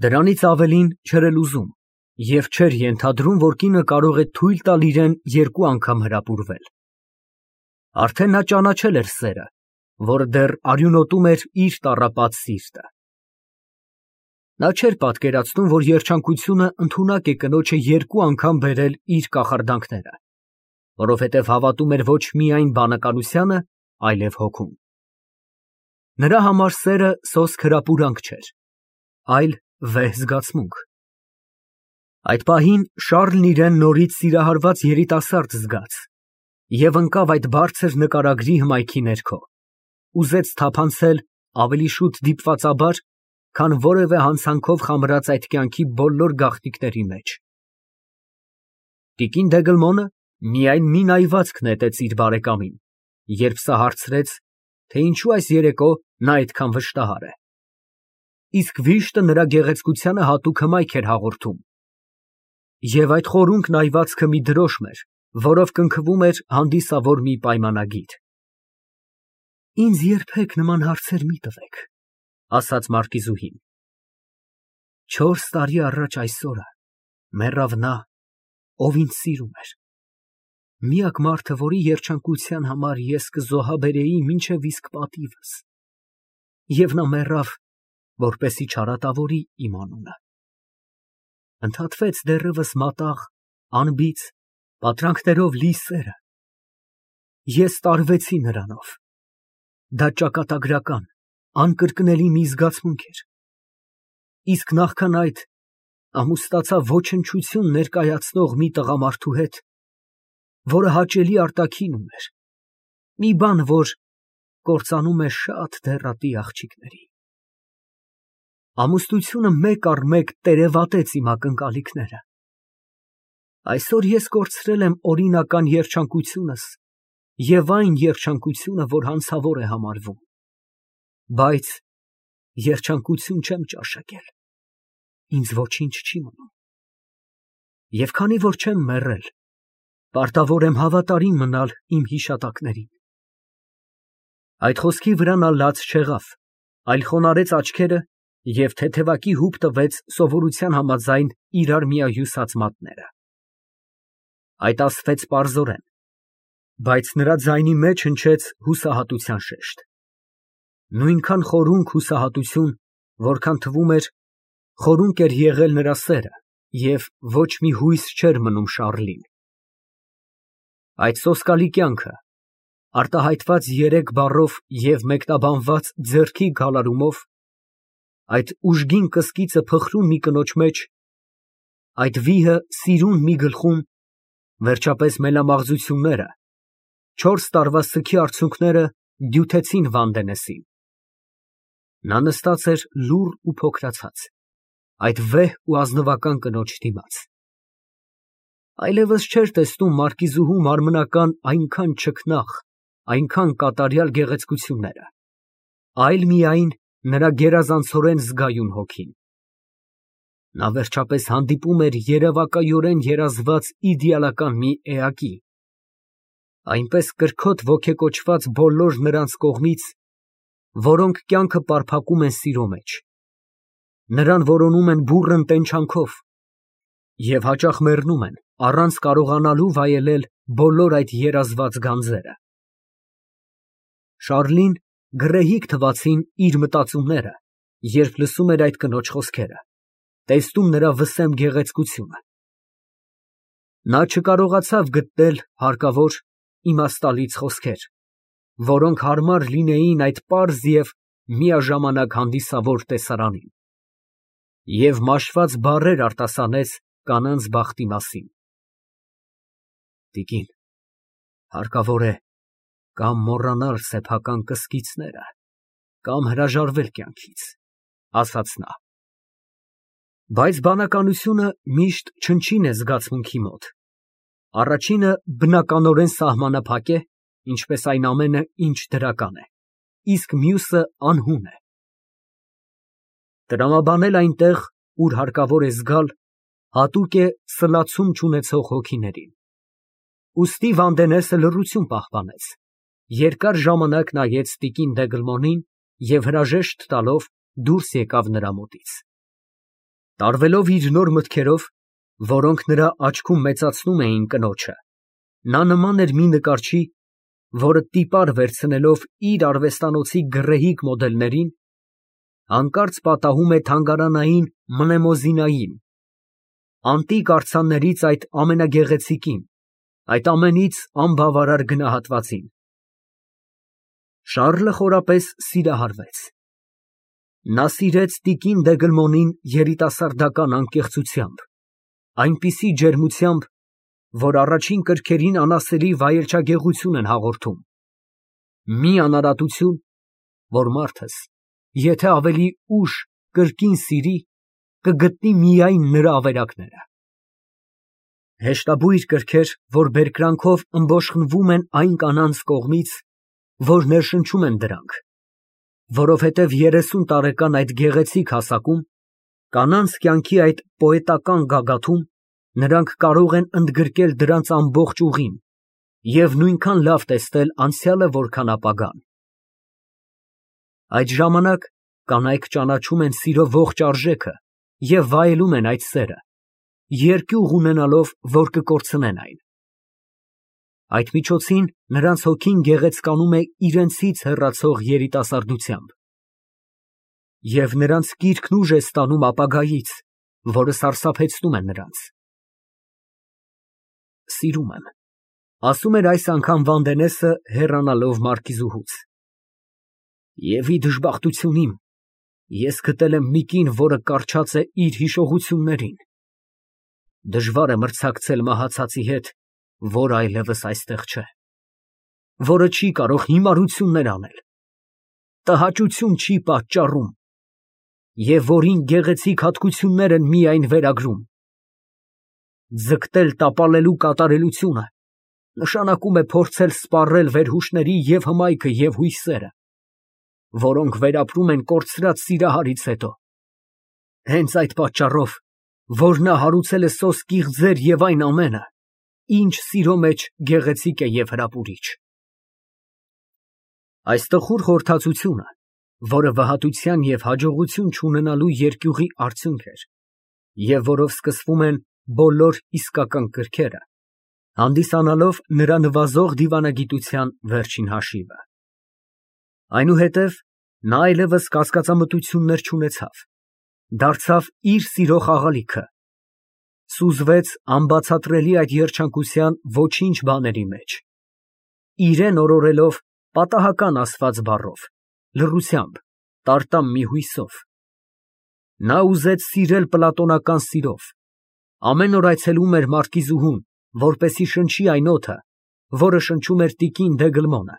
Դրանից ավելին չէր էլ ուզում և չէր ենթադրում, որ կինը կարող է թույլ տալ իրան երկու անգամ հրապուրվել։ Արդեն նա ճանաչել էր սերը, որը դեռ արյունոտում էր իր տառապած սիրտը։ Նա չէր պատկերացնում, որ երջանկությունը ընդունակ է կնոջը երկու անգամ բերել իր կախարդանքները, որովհետև հավատում էր ոչ միայն բանականությանը, այլև հոգուն։ Նրա համար սերը սոսկ հրապուրանք չէր, այլ վեհ զգացմունք։ Այդ պահին Շառլն իրան նորից սիրահարված երիտասարդ զգաց և ընկավ այդ բարձր նկարագրի հմայքի ներքո, ուզեց թափանցել ավելի շուտ դիպվածաբար, քան որևէ հանցանքով խամրած այդ կյանքի բոլոր գաղտնիքների մեջ։ Տիկին Դեգլմոնը միայն մի նայվածք նետեց իր բարեկամին, երբ սա հարցրեց, թե ինչու այս երեկո նա այդքան վշտահար է։ Իսկ վիշտը նրա գեղեցկությանը հատուկ հմայք էր հաղորդում։ Եվ այդ խորունկ նայվածքը մի դրոշմ էր, որով կնքվում էր հանդիսավոր մի պայմանագիր։ Ինձ երբեք նման հարցեր մի տվեք, ասաց մարկիզուհին։ 4 տարի առաջ այս օրը մեռավ նա, ով ինձ սիրում էր։ Միակ մարդը, որի երջանկության համար ես կզոհաբերեի մինչև իսկ պատիվս։ Եվ նա մեռավ, որպեսզի չարատավորի իմ անունը։ Ընդհատվեց դեռևս մատաղ, անբիծ, պատրանքներով լի սերը։ Ես տարվեցի նրանով։ Դա ճակատագրական, անկրկնելի մի զգացմունք էր։ Իսկ նախքան այդ ամուսնացա ոչնչություն ներկայացնող մի տղամարդու հետ, որը հաճելի արտաքին ուներ, մի բան, որ կործանում է շատ դեռատի աղջիկների։ Ամուսնությունը մեկ առ մեկ տերևատեց իմ ակնկալիքները։ Այսօր ես կորցրել եմ օրինական երջանկությունս և այն երջանկությունը, որ հանցավոր է համարվում, բայց երջանկություն չեմ ճաշակել, ինձ ոչինչ չի մնում։ Եվ քանի որ չեմ մեռել, պարտավոր եմ հավատարիմ մնալ իմ հիշատակներին։ Այդ խոսքի վրա նա լաց չեղավ, այլ խոնարհեց աչքերը և թեթևակի հուպ տվեց սովորության համաձայն իրար միահյուսած մատները։ Այդ ասվեց պարզորեն, բայց նրա ձայնի մեջ հնչեց հուսահատության շեշտ։ Նույնքան խորունկ հուսահատություն, որքան թվում էր, խորունկ էր եղել նրա սերը և ոչ մի հույս չէր մնում Շառլին։ Այդ սոսկալի կյանքը, արտահայտված 3 բառով և մեկնաբանված ձեռքի գալարումով, այդ ուժգին կսկիծը փխրուն մի կնոջ մեջ, այդ վիհը սիրուն մի գլխում, վերջապես մելամաղձությունները, 4 տարվա սգի արցունքները դյութեցին Վանդենեսին։ Նա նստած էր լուռ ու փոքրացած, այդ վեհ ու ազնվական կնոջ դիմաց։ Այլևս չէր տեսնում մարկիզուհու մարմնական այնքան չքնաղ, այնքան կատարյալ գեղեցկությունները, այլ միայն նրա գերազանցորեն զգայուն հոգին։ Նա վերջապես հանդիպում էր երևակայորեն երազված իդեալական մի էակի, այնպես կրքոտ ոգեկոչված բոլոր նրանց կողմից, որոնք կյանքը պարփակում են սիրո մեջ, նրան որոնում են բուռն տենչանքով և հաճախ մեռնում են, առանց կարողանալու վայելել բոլոր այդ երազված գանձերը։ Շառլին գռեհիկ թվացին իր մտածումները, երբ լսում էր այդ կնոջ խոսքերը, տեսնում նրա վսեմ գեղեցկությունը։ Նա չկարողացավ գտնել հարկավոր, իմաստալից խոսքեր, որոնք հարմար լինեին այդ պարզ և միաժամանակ հանդիսավոր տեսարանին, և մաշված բառեր արտասանեց կանանց բախտի մասին։ Տիկին, հարկավոր է կամ մոռանալ սեփական կսկիծները, կամ հրաժարվել կյանքից, ասաց նա։ Բայց բանականությունը միշտ չնչին է զգացմունքի մոտ. առաջինը բնականորեն սահմանափակ է, ինչպես այն ամենը, ինչ դրական է, իսկ մյուսը անհուն է։ Տրամաբանել այնտեղ, ուր հարկավոր է զգալ, հատուկ է սլացում չունեցող հոգիներին։ Ուստի Վանդենեսը լռություն պահպանեց, երկար ժամանակ նայեց տիկին Դեգլմոնին և հրաժեշտ տալով դուրս եկավ նրա մոտից։ Տարվելով իր նոր մտքերով, որոնք նրա աչքում մեծացնում էին կնոջը, նա նման էր մի նկարչի, որը տիպար վերցնելով իր արվեստանոցի գռեհիկ մոդելներին, հանկարծ պատահում է թանգարանային Մնեմոզինային, անտիկ արձաններից այդ ամենագեղեցիկին, այդ ամենից անբավարար գնահատվածին։ Շառլը խորապես սիրահարվեց։ Նա սիրեց տիկին Դեգլմոնին երիտասարդական անկեղծությամբ, այնպիսի ջերմությամբ, որ առաջին կրքերին անասելի վայելչագեղություն են հաղորդում, մի անարատություն, որ մարդս, եթե ավելի ուշ կրկին սիրի, կգտնի միայն նրա ավերակները։ Հեշտաբույր կրքեր, որ բերկրանքով ըմբոշխնվում են այն կանանց կողմից, որ ներշնչում են դրանք, որովհետև 30 տարեկան այդ գեղեցիկ հասակում, կանանց կյանքի այդ պոետական գագաթում, նրանք կարող են ընդգրկել դրանց ամբողջ ուղին և նույնքան լավ տեսնել անցյալը, որքան ապագան։ Այդ ժամանակ կանայք ճանաչում են սիրո ողջ արժեքը և վայելում են այդ սերը, երկյուղ ունենալով, որ կկորցնեն այն։ Այդ միջոցին նրանց հոգին գեղեցկանում է իրենցից հեռացող երիտասարդությամբ, և նրանց կիրքն ուժ է ստանում ապագայից, որը սարսափեցնում է նրանց։ Սիրում եմ, ասում էր այս անգամ Վանդենեսը, հեռանալով մարկիզուհուց, և ի դժբախտություն իմ, ես գտել եմ մի կին, որը կառչած է իր հիշողություններին, դժվար է մրցակցել մահացածի հետ, որ այլևս այստեղ չէ, որը չի կարող հիմարություններ անել, տհաճություն չի պատճառում և որին գեղեցիկ հատկություններ են միայն վերագրում։ Ձգտել տապալելու կատարելությունը նշանակում է փորձել սպառել վերհուշների և հմայքը և հույսերը, որոնք վերապրում են կորցրած սիրահարից հետո, հենց այդ պատճառով, որ նա հարուցել է սոսկիղ ձեր և այն ամենը, ինչ սիրո մեջ գեղեցիկ է և հրապուրիչ։ Այս տխուր խորհրդածությունը, որը վհատության և հաջողություն չունենալու երկյուղի արդյունք էր, և որով սկսվում են բոլոր իսկական կրքերը, հանդիսանալով նրա նվազող դիվանագիտության վերջին հաշիվը։ Այնուհետև նա այլևս կասկածամտություններ չունեցավ, դարձավ իր սիրո խաղալիքը, սուզվեց անբացատրելի այդ երջանկության ոչինչ բաների մեջ, իրան օրորելով պատահական ասված բառով, լռությամբ, տարտամ մի հույսով։ Նա ուզեց սիրել պլատոնական սիրով, ամեն օր այցելում էր մարկիզուհուն, որպեսզի շնչի այն օդը, որը շնչում էր տիկին Դեգլմոնը,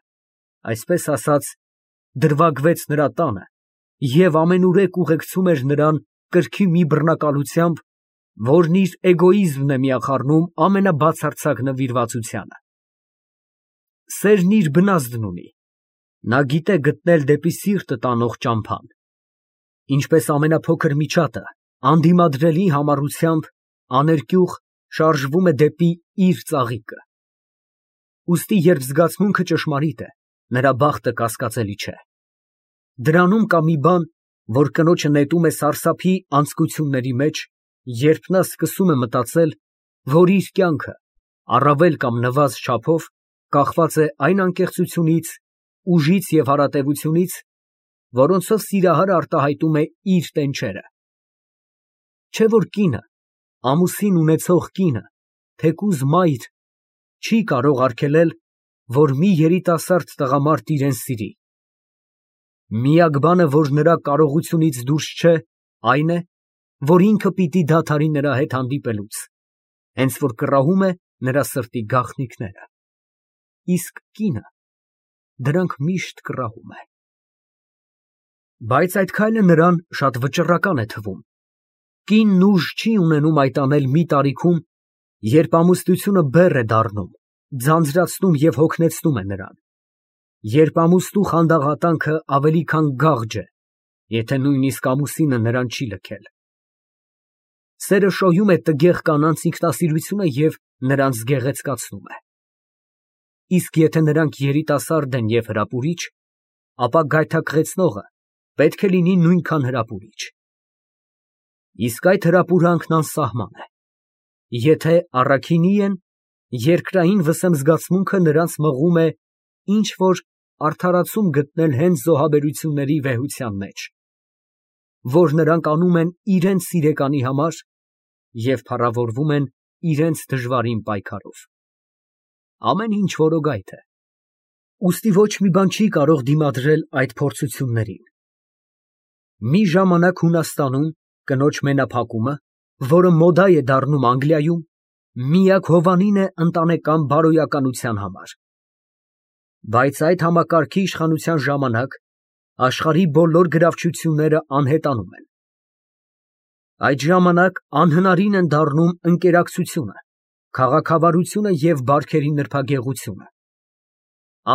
այսպես ասած, դրվագվեց նրա տանը և ամենուրեք ուղեկցում էր նրան կրքի մի բռնակալությամբ, որն իր էգոիզմն է միախառնում ամենաբացարձակ նվիրվածությանը։ Սերն իր բնազդն ունի, նա գիտե գտնել դեպի սիրտը տանող ճամփան, ինչպես ամենափոքր միջատը անդիմադրելի համառությամբ աներկյուղ շարժվում է դեպի իր ծաղիկը։ Ուստի երբ զգացմունքը ճշմարիտ է, նրա բախտը կասկածելի չէ։ Դրանում կա մի բան, որ կնոջը նետում է սարսափի անձկությունների մեջ, երբ նա սկսում է մտածել, որ իր կյանքը, առավել կամ նվազ չափով, կախված է այն անկեղծությունից, ուժից և հարատևությունից, որոնցով սիրահարը արտահայտում է իր տենչերը։ Չէ՞ որ կինը, ամուսին ունեցող կինը, թեկուզ մայր, չի կարող արգելել, որ մի երիտասարդ տղամարդ իրան սիրի։ Միակ բանը, որ նրա կարողությունից դուրս չէ, այն է, որ ինքը պիտի դադարի նրա հետ հանդիպելուց, հենց որ կռահում է նրա սրտի գաղտնիքները, իսկ կինը դրանք միշտ կռահում է։ Բայց այդ քայլը նրան շատ վճռական է թվում։ Կինն ուժ չի ունենում այդ անել մի տարիքում, երբ ամուսնությունը բեռ է դառնում, ձանձրացնում և հոգնեցնում է նրան, երբ ամուսնու խանդաղատանքը ավելի քան գաղջ է, եթե նույնիսկ ամուսինը նրան չի լքել։ Սերը շոյում է տգեղ կանանց ինքնասիրությունը և նրանց գեղեցկացնում է։ Իսկ եթե նրանք երիտասարդ են և հրապուրիչ, ապա գայթակղեցնողը պետք է լինի նույնքան հրապուրիչ։ Իսկ այդ հրապուրանքն անսահման է։ Եթե առաքինի են, երկրային վսեմ զգացմունքը նրանց մղում է ինչ որ արդարացում գտնել հենց զոհաբերությունների վեհության մեջ, որ նրանք անում են իրենց սիրեկանի համար և փառավորվում են իրենց դժվարին պայքարով։ Ամեն ինչ որոգայթ է, ուստի ոչ մի բան չի կարող դիմադրել այդ փորձություններին։ Մի ժամանակ Հունաստանում կնոջ մենափակումը, որը մոդա է դառնում Անգլիայում, միակ հովանին է ընտանեկան բարոյականության համար։ Բայց այդ համակարգի իշխանության ժամանակ աշխարհի բոլոր գրավչությունները անհետանում են։ Այդ ժամանակ անհնարին են դառնում ընկերակցությունը, քաղաքավարությունը և բարքերի նրբագեղությունը։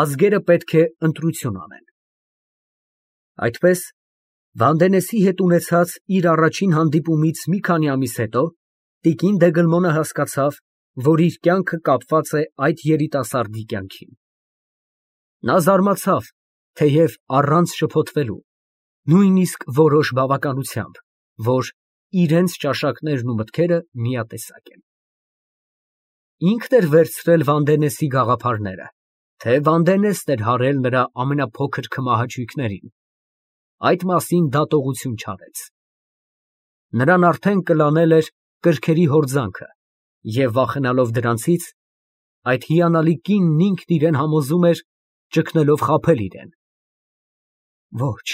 Ազգերը պետք է ընտրություն անեն։ Այդպես, Վանդենեսի հետ ունեցած իր առաջին հանդիպումից մի քանի ամիս հետո տիկին Դեգլմոնը հասկացավ, որ իր կյանքը կապված է այդ երիտասարդի կյանքին։ Նա զարմացավ, թեև առանց շփոթվելու, նույնիսկ որոշ բավականությամբ, որ իրենց ճաշակներն ու մտքերը միատեսակ են։ Ինքն էր վերցրել Վանդենեսի գաղափարները, թե Վանդենեսն էր հարել նրա ամենափոքր քմահաճույքներին, այդ մասին դատողություն չարեց։ Նրան արդեն կլանել էր կրքերի հորձանքը և վախենալով դրանցից, այդ հիանալի կինն ինքն իրան համոզում էր ճգնելով խաբել իրան։ Ոչ,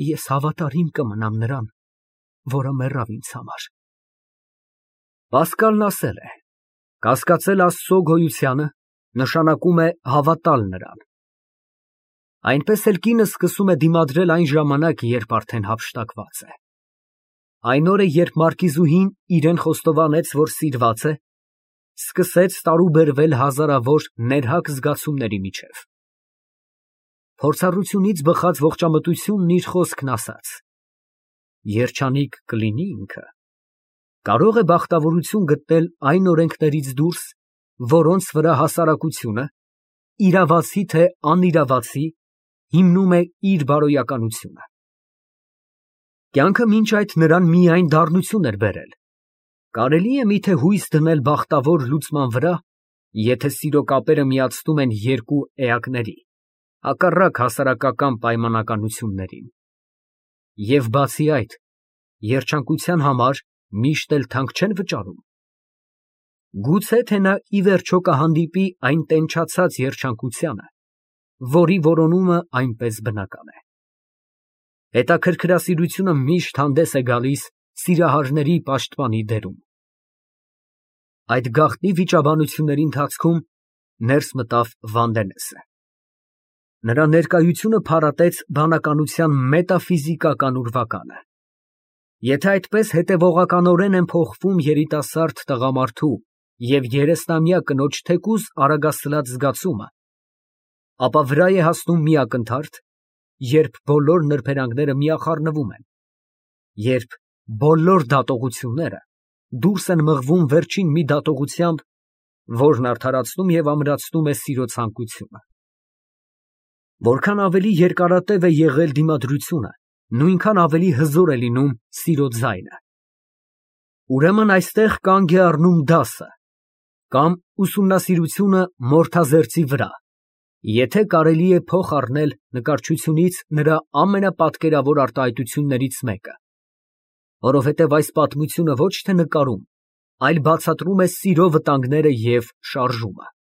ես հավատարիմ կմնամ նրան, որը մեռավ ինձ համար։ Պասկալն ասել է. կասկածել Աստծո գոյությանը նշանակում է հավատալ նրան։ Այնպես էլ կինը սկսում է դիմադրել այն ժամանակ, երբ արդեն հափշտակված է։ Այն օրը, երբ մարկիզուհին իրան խոստովանեց, որ սիրված է, սկսեց տարուբերվել հազարավոր ներհակ զգացումների միջև։ Փորձառությունից բխած ողջամտությունն իր խոսքն ասաց. երջանիկ կլինի ինքը, կարող է բախտավորություն գտնել այն օրենքներից դուրս, որոնց վրա հասարակությունը, իրավացի թե անիրավացի, հիմնում է իր բարոյականությունը։ Կյանքը մինչ այդ նրան միայն դառնություն էր բերել։ Կարելի է միթե հույս դնել բախտավոր լուծման վրա, եթե սիրո կապերը միացնում են երկու էակների, հակառակ հասարակական պայմանականություններին։ Եվ բացի այդ, երջանկության համար միշտ էլ թանկ չեն վճարում։ Գուցե թե նա ի վերջո կհանդիպի այն տենչացած երջանկությանը, որի որոնումը այնպես բնական է։ Հետաքրքրասիրությունը միշտ հանդես է գալիս սիրահարների պաշտպանի դերում։ Այդ գաղտնի վիճաբանությունների ընթացքում ներս մտավ Վանդենեսը։ Նրա ներկայությունը փարատեց բանականության մետաֆիզիկական ուրվականը։ Եթե այդպես հետևողականորեն են փոխվում երիտասարդ տղամարդու և 30-ամյա կնոջ թեկուզ արագասլաց զգացումը, ապա վրա է հասնում մի ակնթարթ, երբ բոլոր նրբերանգները միախառնվում են, երբ բոլոր դատողությունները դուրս են մղվում վերջին մի դատողությամբ, որն արդարացնում և ամրացնում է սիրո ցանկությունը։ Որքան ավելի երկարատև է եղել դիմադրությունը, նույնքան ավելի հզոր է լինում սիրո ձայնը։ Ուրեմն այստեղ կանգ է առնում դասը կամ ուսումնասիրությունը մորթազերծի վրա, եթե կարելի է փոխ առնել նկարչությունից նրա ամենապատկերավոր արտահայտություններից մեկը, որովհետև այս պատմությունը ոչ թե նկարում, այլ բացատրում է սիրո վտանգները և շարժումը։